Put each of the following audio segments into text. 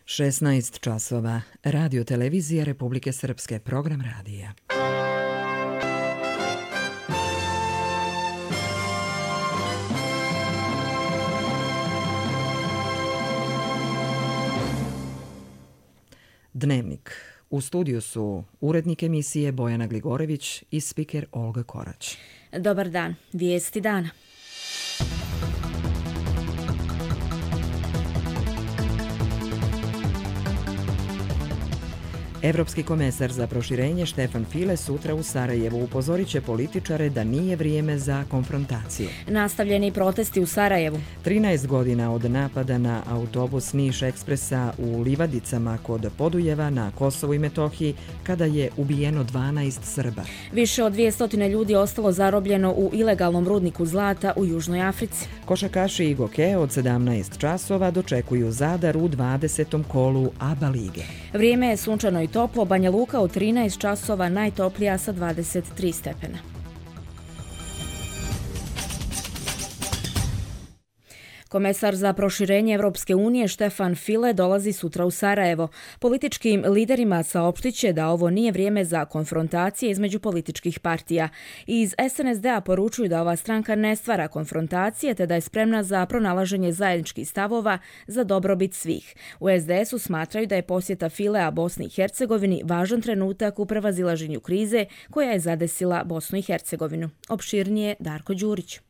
16 časova. Radio Televizija Republike Srpske. Program radija. Dnevnik. U studiju su urednik emisije Bojana Gligorević i spiker Olga Korać. Dobar dan. Vijesti dana. Evropski komesar za proširenje Štefan File sutra u Sarajevu upozorit će političare da nije vrijeme za konfrontaciju. Nastavljeni protesti u Sarajevu. 13 godina od napada na autobus Niš Ekspresa u Livadicama kod Podujeva na Kosovu i Metohiji kada je ubijeno 12 Srba. Više od 200 ljudi ostalo zarobljeno u ilegalnom rudniku zlata u Južnoj Africi. Košarkaši i Goke od 17 časova dočekuju Zadar u 20. kolu ABA lige. Vrijeme je sunčano i toplo, Banja Luka u 13 časova, najtoplija sa 23 stepena. Komesar za proširenje Evropske unije Štefan File dolazi sutra u Sarajevo. Političkim liderima saopštit će da ovo nije vrijeme za konfrontacije između političkih partija. Iz SNSD-a poručuju da ova stranka ne stvara konfrontacije te da je spremna za pronalaženje zajedničkih stavova za dobrobit svih. U SDS-u smatraju da je posjeta Filea Bosni i Hercegovini važan trenutak u prevazilaženju krize koja je zadesila Bosnu i Hercegovinu. Opširnije Darko Đurić.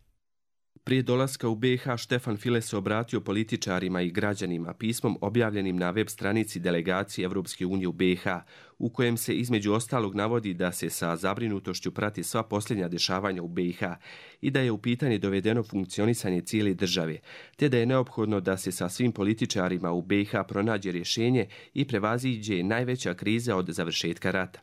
Prije dolaska u BiH Štefan File se obratio političarima i građanima pismom objavljenim na web stranici delegacije Evropske unije u BiH, u kojem se između ostalog navodi da se sa zabrinutošću prati sva posljednja dešavanja u BiH i da je u pitanje dovedeno funkcionisanje cijele države, te da je neophodno da se sa svim političarima u BiH pronađe rješenje i prevaziđe najveća kriza od završetka rata.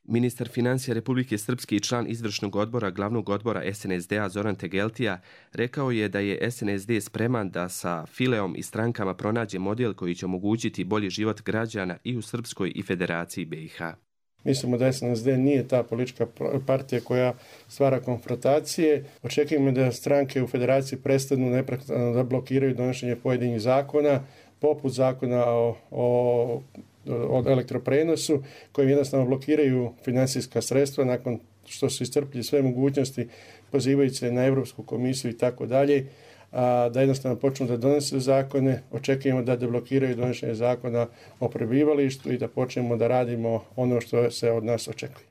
Ministar financija Republike Srpske i član izvršnog odbora glavnog odbora SNSD-a Zoran Tegeltija rekao je da je SNSD spreman da sa Fileom i strankama pronađe model koji će omogućiti bolji život građana i u Srpskoj i Federaciji BiH. Mislimo da SNSD nije ta politička partija koja stvara konfrontacije. Očekujemo da stranke u Federaciji prestanu neprekidno da blokiraju donošenje pojedinih zakona, poput zakona o elektroprenosu, kojim jednostavno blokiraju financijska sredstva nakon što su iscrpili sve mogućnosti, pozivajući se na Europsku komisiju i tako dalje, da jednostavno počnu da donose zakone. Očekujemo da deblokiraju donošenje zakona o prebivalištu i da počnemo da radimo ono što se od nas očekuje.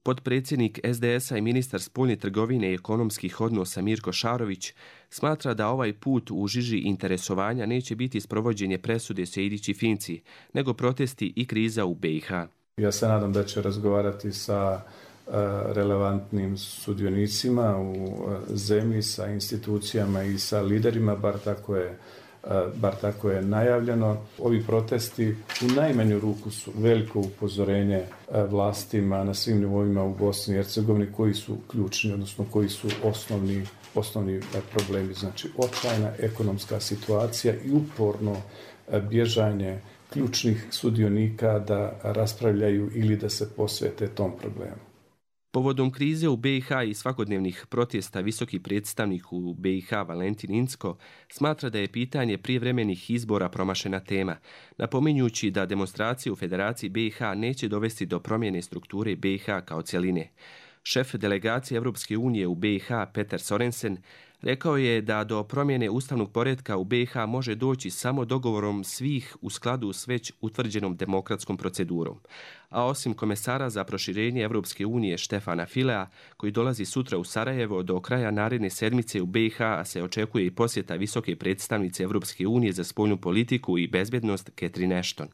Potpredsjednik SDS-a i ministar spoljne trgovine i ekonomskih odnosa Mirko Šarović smatra da ovaj put u žiži interesovanja neće biti sprovođenje presude Sejdić i Finci, nego protesti i kriza u BiH. Ja se nadam da će razgovarati sa relevantnim sudionicima u zemlji, sa institucijama i sa liderima, bar tako je najavljeno. Ovi protesti u najmanju ruku su veliko upozorenje vlastima na svim nivoima u Bosni i Hercegovini koji su ključni, odnosno koji su osnovni problemi. Znači, očajna ekonomska situacija i uporno bježanje ključnih sudionika da raspravljaju ili da se posvete tom problemu. Povodom krize u BiH i svakodnevnih protesta visoki predstavnik u BiH Valentin Incko smatra da je pitanje prijevremenih izbora promašena tema, napominjući da demonstracije u Federaciji BiH neće dovesti do promjene strukture BiH kao cjeline. Šef delegacije Evropske unije u BiH Petar Sorensen rekao je da do promjene ustavnog poretka u BiH može doći samo dogovorom svih u skladu s već utvrđenom demokratskom procedurom. A osim komesara za proširenje Evropske unije Štefana Filea, koji dolazi sutra u Sarajevo, do kraja naredne sedmice u BiH se očekuje i posjeta visoke predstavnice Evropske unije za spoljnu politiku i bezbjednost Catherine Ashton.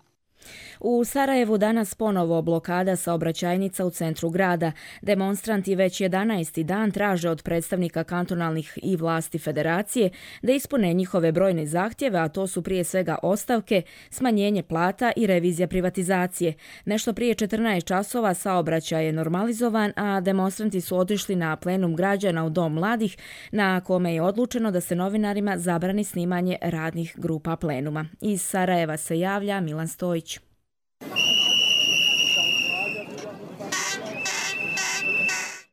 U Sarajevu danas ponovo blokada saobraćajnica u centru grada. Demonstranti već 11. dan traže od predstavnika kantonalnih i vlasti federacije da ispune njihove brojne zahtjeve, a to su prije svega ostavke, smanjenje plata i revizija privatizacije. Nešto prije 14 časova saobraćaj je normalizovan, a demonstranti su otišli na plenum građana u Dom mladih, na kome je odlučeno da se novinarima zabrani snimanje radnih grupa plenuma. Iz Sarajeva se javlja Milan Stojić.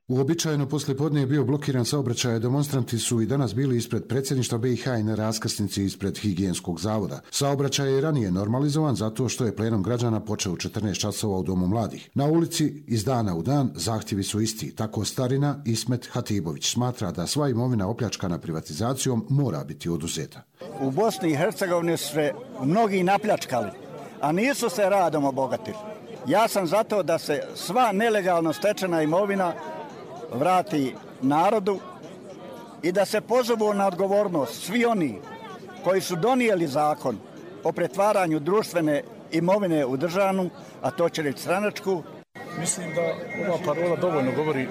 Uobičajeno poslijepodne je bio blokiran saobraćaj, demonstranti su i danas bili ispred predsjedništva BiH i na raskrsnici ispred Higijenskog zavoda. Saobraćaj je ranije normalizovan zato što je plenum građana počeo u 14 časova u Domu mladih. Na ulici iz dana u dan zahtjevi su isti. Tako starina Ismet Hatibović smatra da sva imovina opljačkana privatizacijom mora biti oduzeta. U Bosni i Hercegovini su se mnogi napljačkali, a nisu se radom obogatili. Ja sam zato da se sva nelegalno stečena imovina vrati narodu i da se pozovu na odgovornost svi oni koji su donijeli zakon o pretvaranju društvene imovine u državnu, a to će reći stranačku. Mislim da ova parola dovoljno govori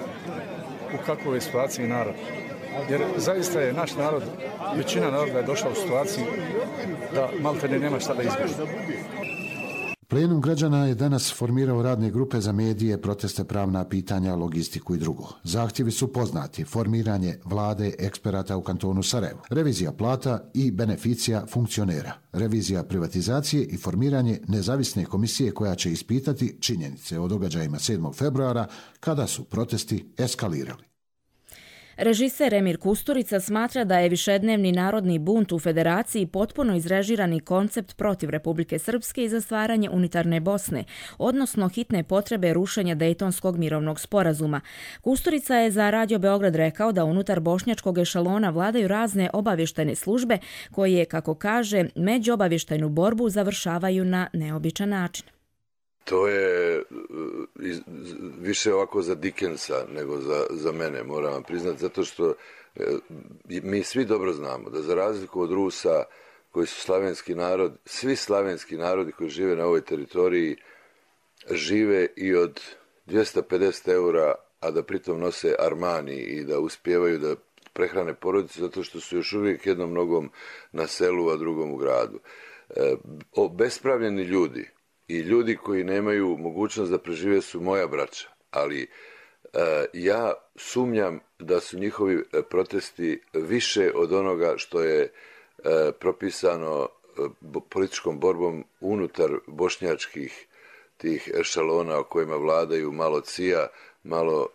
u kakvoj je situaciji narod. Jer zaista je naš narod, većina naroda je došla u situaciju da maltene nema šta da izbježe. Plenum građana je danas formirao radne grupe za medije, proteste, pravna pitanja, logistiku i drugo. Zahtjevi su poznati: formiranje vlade eksperata u kantonu Sarajevo, revizija plata i beneficija funkcionera, revizija privatizacije i formiranje nezavisne komisije koja će ispitati činjenice o događajima 7. februara kada su protesti eskalirali. Režiser Emir Kusturica smatra da je višednevni narodni bunt u Federaciji potpuno izrežirani koncept protiv Republike Srpske i za stvaranje unitarne Bosne, odnosno hitne potrebe rušenja Dejtonskog mirovnog sporazuma. Kusturica je za Radio Beograd rekao da unutar bošnjačkog ešalona vladaju razne obavještajne službe koje, kako kaže, međuobavještajnu borbu završavaju na neobičan način. To je više ovako za Dickensa nego za mene, moram vam priznati, zato što mi svi dobro znamo da za razliku od Rusa koji su slavenski narod, svi slavenski narodi koji žive na ovoj teritoriji žive i od 250 eura, a da pritom nose Armani i da uspijevaju da prehrane porodice zato što su još uvijek jednom nogom na selu, a drugom u gradu. Obespravljeni ljudi i ljudi koji nemaju mogućnost da prežive su moja braća, ali ja sumnjam da su njihovi protesti više od onoga što je propisano političkom borbom unutar bošnjačkih tih ešalona o kojima vladaju malo CIA, malo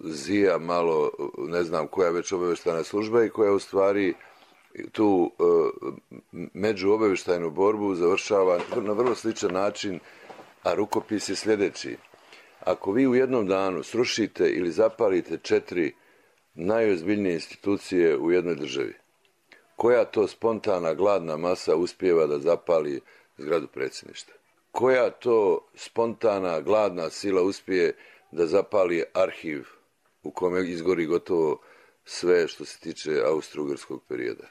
ZIA, malo ne znam koja već obavještajna služba i koja u stvari tu međuobavještajnu borbu završava na vrlo sličan način, a rukopis je sljedeći. Ako vi u jednom danu srušite ili zapalite 4 najozbiljnije institucije u jednoj državi, koja to spontana gladna masa uspijeva da zapali zgradu predsjedništva? Koja to spontana gladna sila uspije da zapali arhiv u kome izgori gotovo sve što se tiče austro-ugarskog perioda?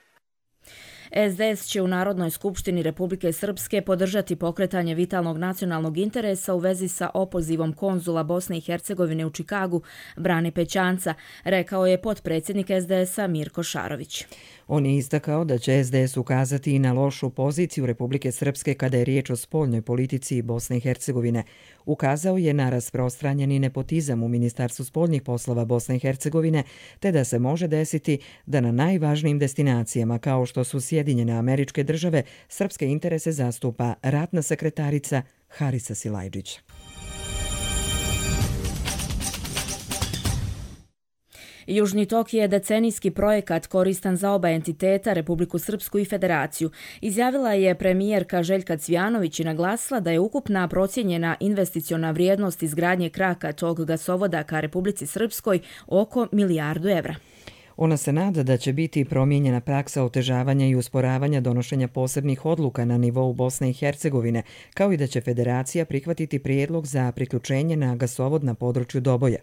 SDS će u Narodnoj skupštini Republike Srpske podržati pokretanje vitalnog nacionalnog interesa u vezi sa opozivom konzula Bosne i Hercegovine u Čikagu, Brane Pećanca, rekao je potpredsjednik SDS-a Mirko Šarović. On je istakao da će SDS ukazati i na lošu poziciju Republike Srpske kada je riječ o spoljnoj politici Bosne i Hercegovine. Ukazao je na rasprostranjeni nepotizam u Ministarstvu spoljnih poslova Bosne i Hercegovine, te da se može desiti da na najvažnijim destinacijama kao što su Sjedinjene Američke Države srpske interese zastupa ratna sekretarica Harisa Silajdžić. Južni tok je decenijski projekat koristan za oba entiteta, Republiku Srpsku i Federaciju. Izjavila je premijerka Željka Cvijanović i naglasila da je ukupna procijenjena investiciona vrijednost izgradnje kraka tog gasovoda ka Republici Srpskoj oko $1 milijardu. Ona se nada da će biti promijenjena praksa otežavanja i usporavanja donošenja posebnih odluka na nivou Bosne i Hercegovine, kao i da će Federacija prihvatiti prijedlog za priključenje na gasovod na području Doboja.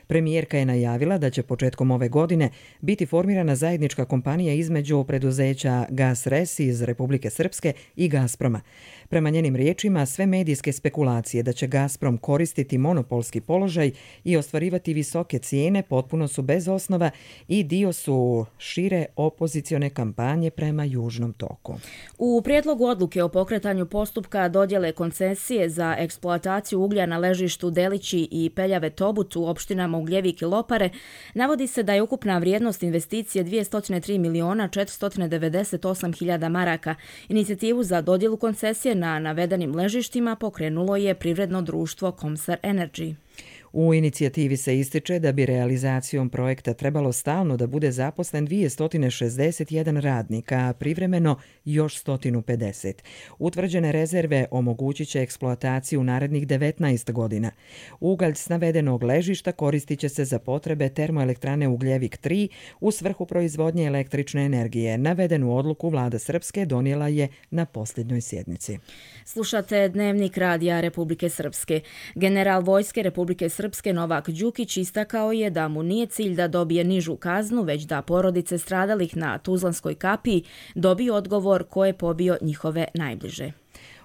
Premijerka je najavila da će početkom ove godine biti formirana zajednička kompanija između preduzeća GasRes iz Republike Srpske i Gazproma. Prema njenim riječima, sve medijske spekulacije da će Gazprom koristiti monopolski položaj i ostvarivati visoke cijene potpuno su bez osnova i dio su šire opozicione kampanje prema Južnom toku. U prijedlogu odluke o pokretanju postupka dodjele koncesije za eksploataciju uglja na ležištu Delići i Peljave Tobut u opštinama Ugljevik i Lopare navodi se da je ukupna vrijednost investicije 203.498.000 maraka. Inicijativu za dodjelu koncesije na navedenim ležištima pokrenulo je privredno društvo Komsar Energy. U inicijativi se ističe da bi realizacijom projekta trebalo stalno da bude zaposlen 261 radnika, a privremeno još 150. Utvrđene rezerve omogućit će eksploataciju u narednih 19 godina. Ugalj s navedenog ležišta koristit će se za potrebe termoelektrane Ugljevik 3 u svrhu proizvodnje električne energije. Navedenu odluku vlada Srpske donijela je na posljednjoj sjednici. Slušate Dnevnik radija Republike Srpske. General vojske Republike Srpske Novak Đukić istakao je da mu nije cilj da dobije nižu kaznu, već da porodice stradalih na Tuzlanskoj kapiji dobiju odgovor ko je pobio njihove najbliže.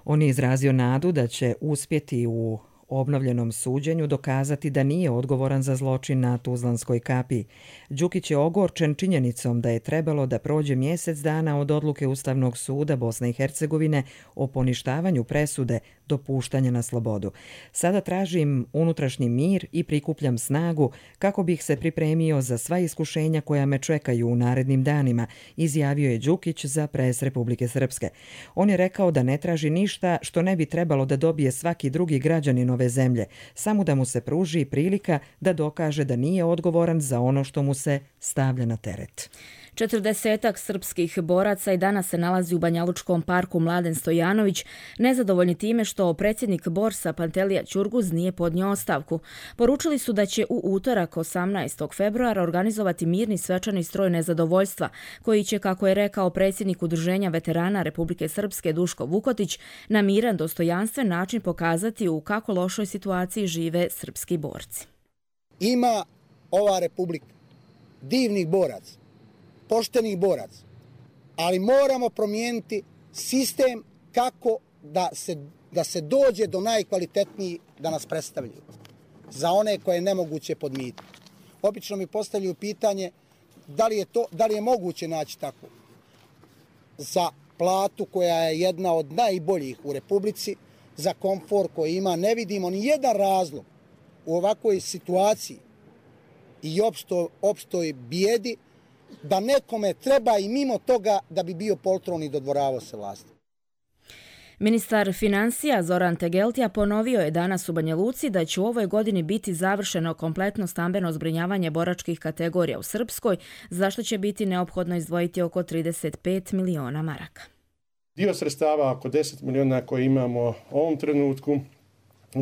On je izrazio nadu da će uspjeti u obnovljenom suđenju dokazati da nije odgovoran za zločin na Tuzlanskoj kapiji. Đukić je ogorčen činjenicom da je trebalo da prođe mjesec dana od odluke Ustavnog suda Bosne i Hercegovine o poništavanju presude do puštanja na slobodu. Sada tražim unutrašnji mir i prikupljam snagu kako bih se pripremio za sva iskušenja koja me čekaju u narednim danima, izjavio je Đukić za Pres Republike Srpske. On je rekao da ne traži ništa što ne bi trebalo da dobije svaki drugi građanin ove zemlje, samo da mu se pruži prilika da dokaže da nije odgovoran za ono što mu se stavlja na teret. 40 srpskih boraca i danas se nalazi u Banjalučkom parku Mladen Stojanović, nezadovoljni time što predsjednik Borsa Pantelija Ćurguz nije podnio ostavku. Poručili su da će u utorak 18. februara organizovati mirni svečani stroj nezadovoljstva, koji će, kako je rekao predsjednik Udruženja veterana Republike Srpske Duško Vukotić, na miran, dostojanstven način pokazati u kako lošoj situaciji žive srpski borci. Ima ova republika divnih boraca, poštenih boraca, ali moramo promijeniti sistem kako da se dođe do najkvalitetnijih da nas predstavljaju, za one koje je nemoguće podmititi. Obično mi postavljaju pitanje da li je moguće naći tako za platu koja je jedna od najboljih u Republici, za komfor koji ima. Ne vidimo ni jedan razlog u ovakvoj situaciji i opštoj bijedi da nekome treba i mimo toga da bi bio poltron i dodvoravao se vlasti. Ministar financija Zoran Tegeltija ponovio je danas u Banja Luci da će u ovoj godini biti završeno kompletno stambeno zbrinjavanje boračkih kategorija u Srpskoj, za što će biti neophodno izdvojiti oko 35 miliona maraka. Dio sredstava, oko 10 miliona koje imamo u ovom trenutku,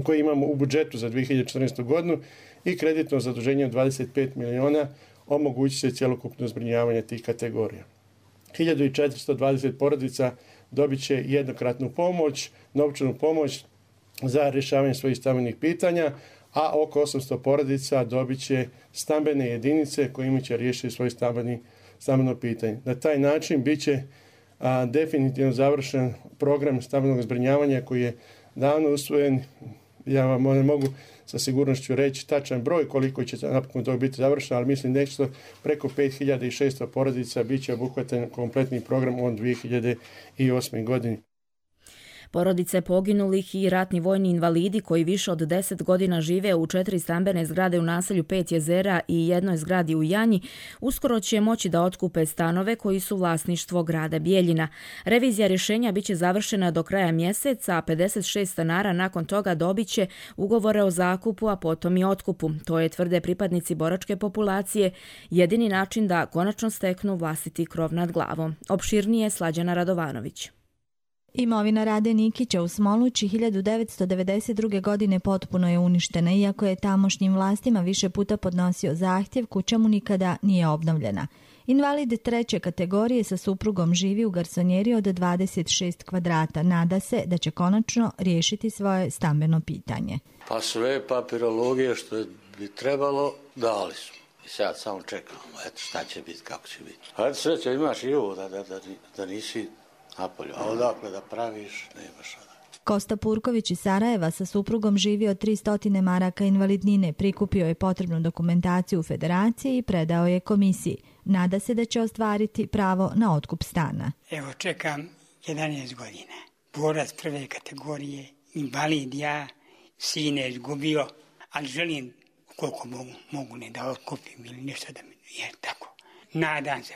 koje imamo u budžetu za 2014. godinu i kreditno zaduženje od 25 miliona, omogućit će cjelokupno zbrinjavanje tih kategorija. 1420 porodica dobit će jednokratnu pomoć, novčanu pomoć za rješavanje svojih stambenih pitanja, a oko 800 porodica dobit će stambene jedinice kojima će riješiti svoje stambeno pitanje. Na taj način bit će definitivno završen program stambenog zbrinjavanja koji je davno usvojen. Ja vam ne mogu sa sigurnošću reći tačan broj koliko će napokon to biti završeno, ali mislim nešto preko 5600 porodica bit će obuhvatan kompletni program od 2008. godini. Porodice poginulih i ratni vojni invalidi koji više od 10 godina žive u 4 stambene zgrade u naselju 5 jezera i jednoj zgradi u Janji, uskoro će moći da otkupe stanove koji su vlasništvo grada Bijeljina. Revizija rješenja biće završena do kraja mjeseca, a 56 stanara nakon toga dobit će ugovore o zakupu, a potom i otkupu. To je, tvrde pripadnici boračke populacije, jedini način da konačno steknu vlastiti krov nad glavom. Opširnije Slađana Radovanović. Imovina Rade Nikića u Smolući 1992. godine potpuno je uništena, iako je tamošnjim vlastima više puta podnosio zahtjev, kuća mu nikada nije obnovljena. Invalid 3. kategorije sa suprugom živi u garsonjeri od 26 kvadrata. Nada se da će konačno riješiti svoje stambeno pitanje. Pa sve papirologije što bi trebalo dali su. I sad samo čekamo, eto šta će biti, kako će biti. Hajde sreće, imaš i ovo da nisi napolju, a odakle da praviš, nemaš odakle. Kosta Purković iz Sarajeva sa suprugom živi od 300 maraka invalidnine, prikupio je potrebnu dokumentaciju u federaciji i predao je komisiji. Nada se da će ostvariti pravo na otkup stana. Evo čekam 11 godina. Borac 1. kategorije, invalid ja, sine izgubio, ali želim koliko mogu ne da otkupim ili nešto da mi je tako. Nadam se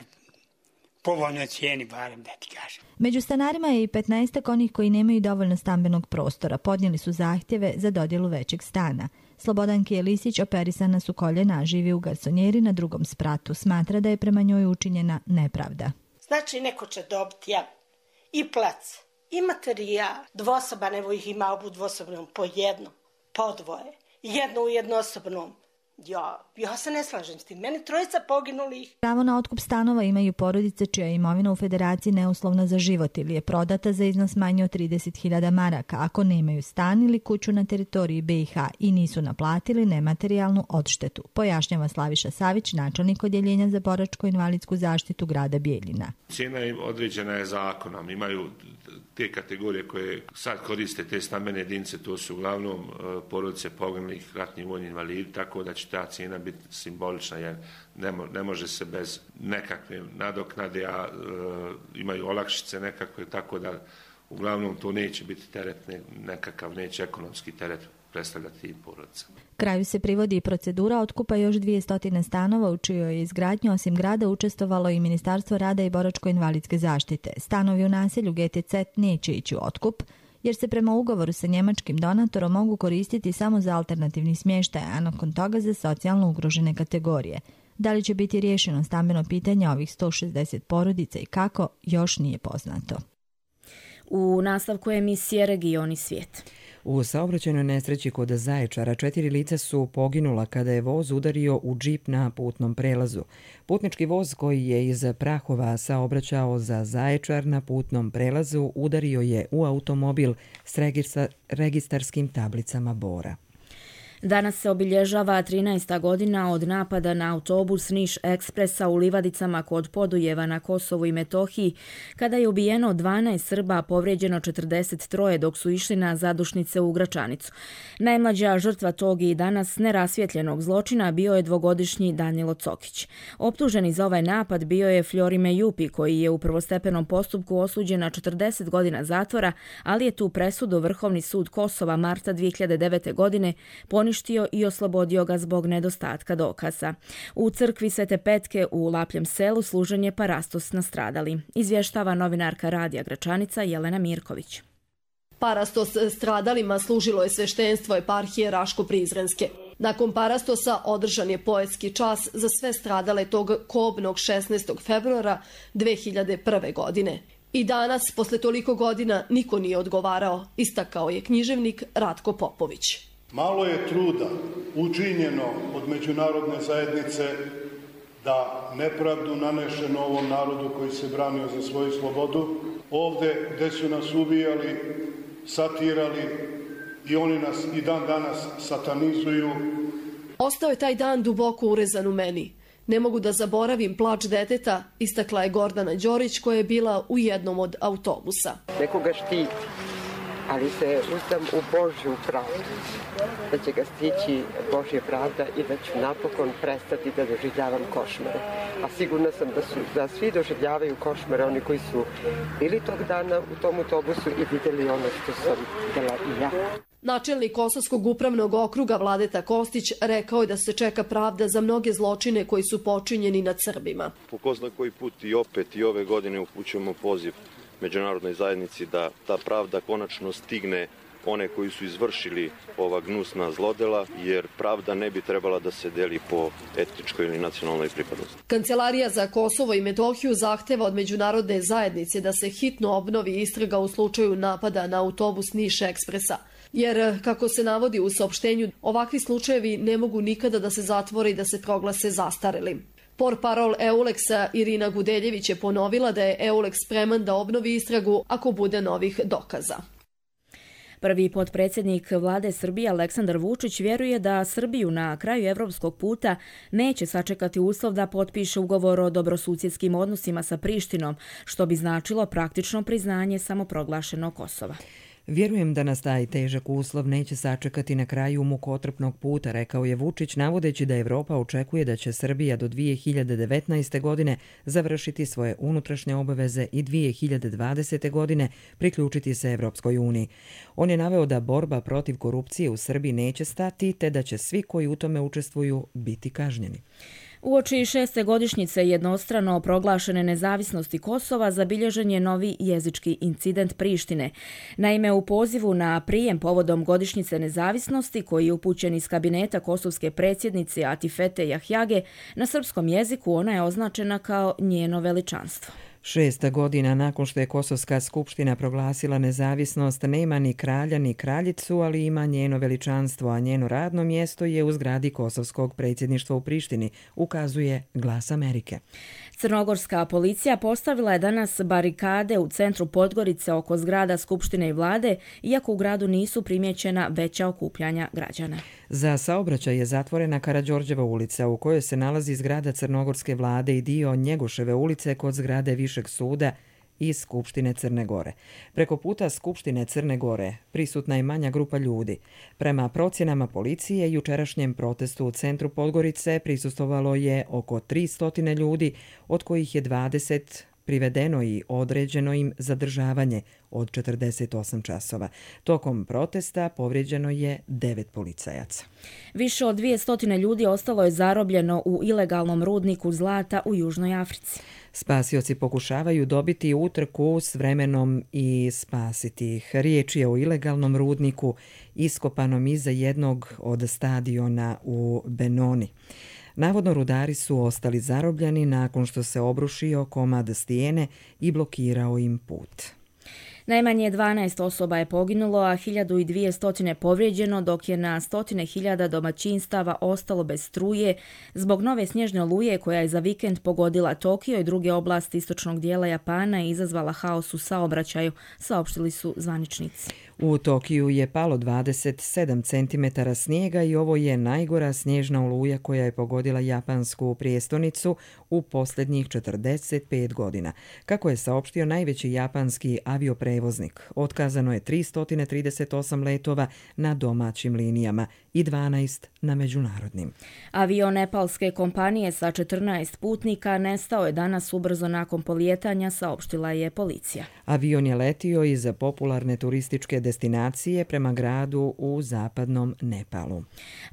povoljno cijeni, barem da ti kažem. Među stanarima je i 15 onih koji nemaju dovoljno stambenog prostora. Podnijeli su zahtjeve za dodjelu većeg stana. Slobodan Kijelišić operisana su koljena, živi u garsonjeri na drugom spratu. Smatra da je prema njoj učinjena nepravda. Znači, neko će dobiti i plac, i materijal. Dvosoban, evo ih ima obu dvosobnom po jedno, po dvoje. Jedno u jednosobnom. Ja se ne slažem s tim. Meni trojica poginulih. Pravo na otkup stanova imaju porodice čija je imovina u Federaciji neuslovna za život ili je prodata za iznos manje od 30.000 maraka ako nemaju stan ili kuću na teritoriji BiH i nisu naplatili nematerijalnu odštetu, pojašnjava Slaviša Savić, načelnik odjeljenja za boračko-invalidsku zaštitu grada Bijeljina. Cijena im određena je zakonom. Imaju te kategorije koje sad koriste te stambene jedinice, to su uglavnom porodice poginulih, ratni vojni invalidi, tako da će ta cijena biti simbolična jer ne može se bez nekakve nadoknade, a imaju olakšice nekakve, tako da uglavnom to neće biti teret, nekakav neće ekonomski teret predstavljati tim porodicama. Kraju se privodi i procedura otkupa još 200 stanova u čijoj je izgradnji osim grada učestvovalo i Ministarstvo rada i boračko-invalidske zaštite. Stanovi u naselju GTZ neće ići u otkup, jer se prema ugovoru sa njemačkim donatorom mogu koristiti samo za alternativni smještaj, a nakon toga za socijalno ugrožene kategorije. Da li će biti riješeno stambeno pitanje ovih 160 porodica i kako, još nije poznato. U nastavku emisije Regioni svijet. U saobraćajnoj nesreći kod Zaječara 4 lica su poginula kada je voz udario u džip na putnom prelazu. Putnički voz koji je iz Prahova saobraćao za Zaječar na putnom prelazu udario je u automobil s registarskim tablicama Bora. Danas se obilježava 13. godina od napada na autobus Niš Ekspresa u Livadicama kod Podujeva na Kosovu i Metohiji, kada je ubijeno 12 Srba, a povrijeđeno 43 dok su išli na zadušnice u Gračanicu. Najmlađa žrtva tog i danas nerasvjetljenog zločina bio je 2-godišnji Danilo Cokić. Optuženi za ovaj napad bio je Fjorime Jupi, koji je u prvostepenom postupku osuđen na 40 godina zatvora, ali je tu presudu Vrhovni sud Kosova marta 2009. godine poništio i oslobodio ga zbog nedostatka dokaza. U crkvi Svete Petke u Lapljem selu služen je parastos nastradali. Izvještava novinarka Radija Gračanica Jelena Mirković. Parastos stradalima služilo je sveštenstvo eparhije Raško-Prizrenske. Nakon parastosa održan je poetski čas za sve stradale tog kobnog 16. februara 2001. godine. I danas, posle toliko godina, niko nije odgovarao, istakao je književnik Ratko Popović. Malo je truda učinjeno od međunarodne zajednice da nepravdu nanešeno ovom narodu koji se branio za svoju slobodu, ovde gde su nas ubijali, satirali i oni nas i dan danas satanizuju. Ostao je taj dan duboko urezan u meni. Ne mogu da zaboravim plač deteta, istakla je Gordana Đorić koja je bila u jednom od autobusa. Nekoga štiti, ali se uzdam u Božju pravdu, da će ga stići Božja pravda i da ću napokon prestati da doživljavam košmare. A sigurna sam da svi doživljavaju košmare, oni koji su bili tog dana u tom autobusu i vidjeli ono što sam vidjela i ja. Načelnik Kosovskog upravnog okruga Vladeta Kostić rekao je da se čeka pravda za mnoge zločine koji su počinjeni nad Srbima. Po ko zna koji put i opet i ove godine upućujemo poziv međunarodnoj zajednici da ta pravda konačno stigne one koji su izvršili ova gnusna zlodela, jer pravda ne bi trebala da se deli po etničkoj ili nacionalnoj pripadnosti. Kancelarija za Kosovo i Metohiju zahteva od međunarodne zajednice da se hitno obnovi istraga u slučaju napada na autobus Niš Ekspresa. Jer, kako se navodi u saopštenju, ovakvi slučajevi ne mogu nikada da se zatvore i da se proglase zastarelim. Portparol EULEX-a Irina Gudeljević je ponovila da je EULEX spreman da obnovi istragu ako bude novih dokaza. Prvi potpredsjednik vlade Srbije Aleksandar Vučić vjeruje da Srbiju na kraju evropskog puta neće sačekati uslov da potpiše ugovor o dobrosusjedskim odnosima sa Prištinom, što bi značilo praktično priznanje samoproglašenog Kosova. Vjerujem da nas taj težak uslov neće sačekati na kraju mukotrpnog puta, rekao je Vučić, navodeći da Evropa očekuje da će Srbija do 2019. godine završiti svoje unutrašnje obaveze i 2020. godine priključiti se Evropskoj uniji. On je naveo da borba protiv korupcije u Srbiji neće stati, te da će svi koji u tome učestvuju biti kažnjeni. Uoči 6. godišnjice jednostrano proglašene nezavisnosti Kosova zabilježen je novi jezički incident Prištine. Naime, u pozivu na prijem povodom godišnjice nezavisnosti, koji je upućen iz kabineta kosovske predsjednice Atifete Jahjage, na srpskom jeziku ona je označena kao njeno veličanstvo. 6 godina nakon što je Kosovska skupština proglasila nezavisnost, nema ni kralja ni kraljicu, ali ima njeno veličanstvo, a njeno radno mjesto je u zgradi Kosovskog predsjedništva u Prištini, ukazuje Glas Amerike. Crnogorska policija postavila je danas barikade u centru Podgorice oko zgrada Skupštine i vlade, iako u gradu nisu primjećena veća okupljanja građana. Za saobraćaj je zatvorena Karađorđeva ulica, u kojoj se nalazi zgrada Crnogorske vlade i dio Njegoševe ulice kod zgrade Višeg suda i Skupštine Crne Gore. Preko puta Skupštine Crne Gore prisutna je manja grupa ljudi. Prema procjenama policije, jučerašnjem protestu u centru Podgorice prisustvovalo je oko 300 ljudi, od kojih je 20 privedeno i određeno im zadržavanje od 48 časova. Tokom protesta povrijeđeno je 9 policajaca. Više od 200 ljudi ostalo je zarobljeno u ilegalnom rudniku zlata u Južnoj Africi. Spasioci pokušavaju dobiti utrku s vremenom i spasiti ih. Riječ je o ilegalnom rudniku iskopanom iza jednog od stadiona u Benoni. Navodno rudari su ostali zarobljeni nakon što se obrušio komad stijene i blokirao im put. Najmanje 12 osoba je poginulo, a 1200 povrijeđeno, dok je na 100.000 domaćinstava ostalo bez struje zbog nove snježne oluje koja je za vikend pogodila Tokio i druge oblasti istočnog dijela Japana i izazvala haos u saobraćaju, saopštili su zvaničnici. U Tokiju je palo 27 cm snijega i ovo je najgora snježna oluja koja je pogodila japansku prijestolnicu u posljednjih 45 godina. Kako je saopštio najveći japanski avioprevoznik, otkazano je 338 letova na domaćim linijama i 12 na međunarodnim. Avion nepalske kompanije sa 14 putnika nestao je danas ubrzo nakon polijetanja, saopštila je policija. Avion je letio iz popularne turističke destinacije prema gradu u zapadnom Nepalu.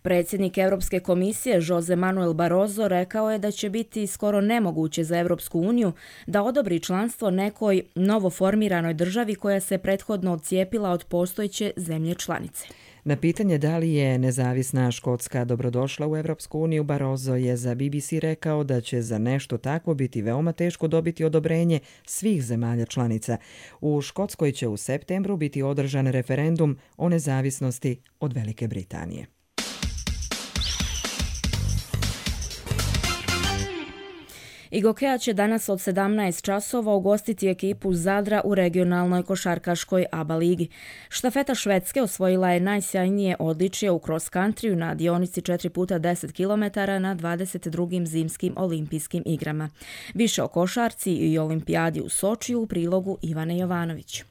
Predsjednik Europske komisije Jose Manuel Barroso rekao je da će biti skoro nemoguće za Europsku uniju da odobri članstvo nekoj novoformiranoj državi koja se prethodno odcijepila od postojeće zemlje članice. Na pitanje da li je nezavisna Škotska dobrodošla u Europsku uniju, Barroso je za BBC rekao da će za nešto takvo biti veoma teško dobiti odobrenje svih zemalja članica. U Škotskoj će u septembru biti održan referendum o nezavisnosti od Velike Britanije. Igokea će danas od 17 časova ugostiti ekipu Zadra u regionalnoj košarkaškoj ABA ligi. Štafeta Švedske osvojila je najsjajnije odličje u cross country na dionici 4x10 km na 22. zimskim olimpijskim igrama. Više o košarci i olimpijadi u Sočiju u prilogu Ivane Jovanović.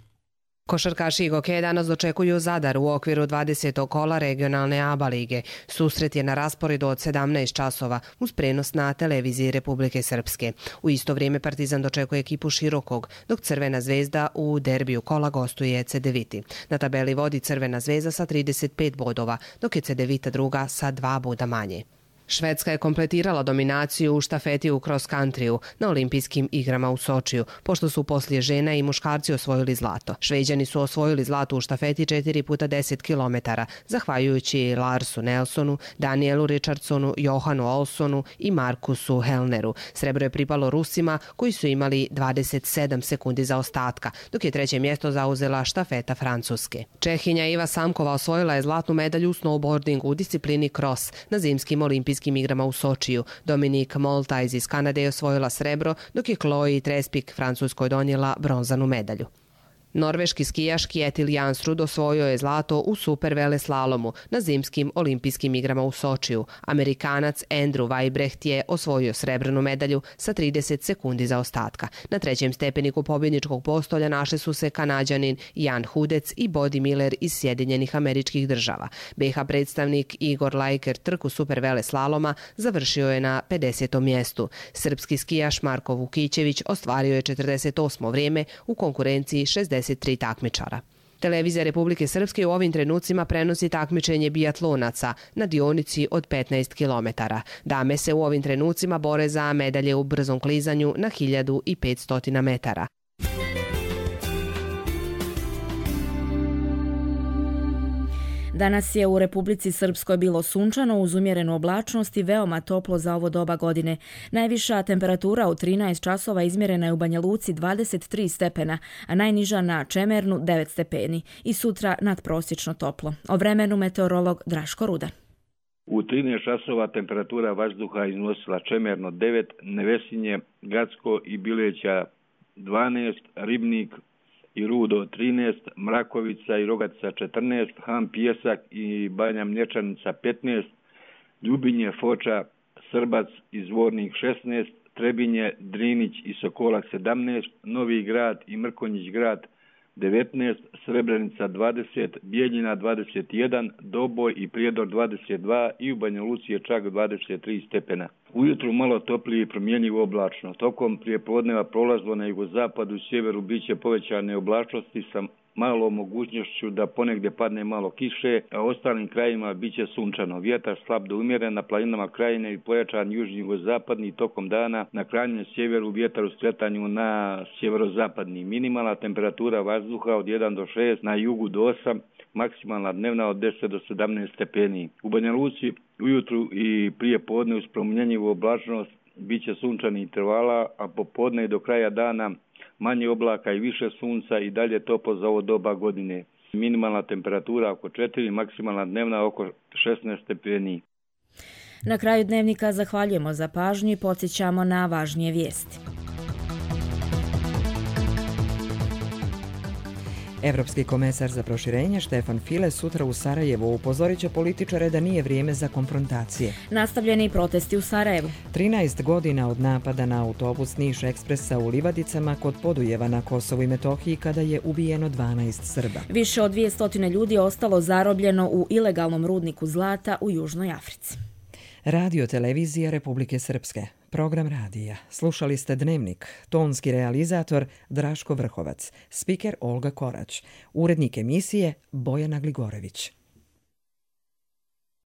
Košarkaši Igoke danas dočekuju Zadar u okviru 20. kola regionalne ABA lige. Susret je na rasporedu od 17 časova uz prenos na televiziji Republike Srpske. U isto vrijeme Partizan dočekuje ekipu Širokog, dok Crvena zvezda u derbiju kola gostuje Cedeviti. Na tabeli vodi Crvena zvezda sa 35 bodova, dok je Cedevita druga sa 2 boda manje. Švedska je kompletirala dominaciju u štafeti u cross country na olimpijskim igrama u Sočiju, pošto su poslije žena i muškarci osvojili zlato. Šveđani su osvojili zlato u štafeti 4x10 km, zahvaljujući Larsu Nelsonu, Danielu Richardsonu, Johanu Olsonu i Markusu Hellneru. Srebro je pripalo Rusima, koji su imali 27 sekundi zaostatka, dok je treće mjesto zauzela štafeta Francuske. Čehinja Iva Samkova osvojila je zlatnu medalju u snowboardingu u disciplini cross na zimskim olimpijskim igrama u Sočiju. Dominik Moltajz iz Kanade je osvojila srebro, dok je Chloe Trespik Francuskoj donijela bronzanu medalju. Norveški skijaš Kjetil Jansrud osvojio je zlato u super veleslalomu na zimskim olimpijskim igrama u Sočiju. Amerikanac Andrew Weibrecht je osvojio srebrnu medalju sa 30 sekundi zaostatka. Na trećem stepeniku pobjedničkog postolja našli su se Kanađanin Jan Hudec i Bodi Miller iz Sjedinjenih Američkih Država. BiH predstavnik Igor Lajker trku super veleslaloma završio je na 50. mjestu. Srpski skijaš Marko Vukićević ostvario je 48. vrijeme u konkurenciji 63 takmičara. Televizija Republike Srpske u ovim trenucima prenosi takmičenje bijatlonaca na dionici od 15 km. Dame se u ovim trenucima bore za medalje u brzom klizanju na 1500 metara. Danas je u Republici Srpskoj bilo sunčano uz umjerenu oblačnost i veoma toplo za ovo doba godine. Najviša temperatura u 13 časova izmjerena je u Banja Luci 23 stepena, a najniža na Čemernu 9 stepeni i sutra nadprosječno toplo. O vremenu meteorolog Draško Rudan. U 13 časova temperatura vazduha iznosila Čemerno 9, Nevesinje, Gacko i Bileća 12, Ribnik i Rudo 13, Mrakovica i Rogatica 14, Han Pijesak i Banja Mlječanica 15, Ljubinje, Foča, Srbac i Zvornik 16, Trebinje, Drinić i Sokolak 17, Novi Grad i Mrkonjić Grad 19, Srebrenica 20, Bijeljina 21, Doboj i Prijedor 22 i u Banja Luci je čak 23 stepena. Ujutru malo toplije i promjenjivo oblačno. Tokom prijepodneva prolazno na jugozapadu i sjeveru biće povećane oblačnosti sa malom mogućnošću da ponegdje padne malo kiše, a ostalim krajima biće sunčano. Vjetar slab do umjeren na planinama krajine i pojačan južni jugozapadni tokom dana. Na krajnjem sjeveru vjetar u skretanju na sjeverozapadni. Minimalna temperatura vazduha od 1 do 6, na jugu do 8, maksimalna dnevna od 10 do 17 stepeni. U Banja Luci ujutru i prije podne uz promjenjivu oblačnost biće sunčani intervala, a popodne i do kraja dana manje oblaka i više sunca i dalje toplo za ovo doba godine. Minimalna temperatura oko 4, maksimalna dnevna oko 16 stepeni. Na kraju dnevnika zahvaljujemo za pažnju i podsjećamo na važnije vijesti. Evropski komesar za proširenje Štefan File sutra u Sarajevu upozorit će političare da nije vrijeme za konfrontacije. Nastavljeni protesti u Sarajevu. 13 godina od napada na autobus Niš Ekspresa u Livadicama kod Podujeva na Kosovu i Metohiji kada je ubijeno 12 Srba. Više od 200 ljudi je ostalo zarobljeno u ilegalnom rudniku zlata u Južnoj Africi. Radio televizija Republike Srpske. Program radija. Slušali ste Dnevnik. Tonski realizator Draško Vrhovac. Spiker Olga Korać. Urednik emisije Bojana Gligorević.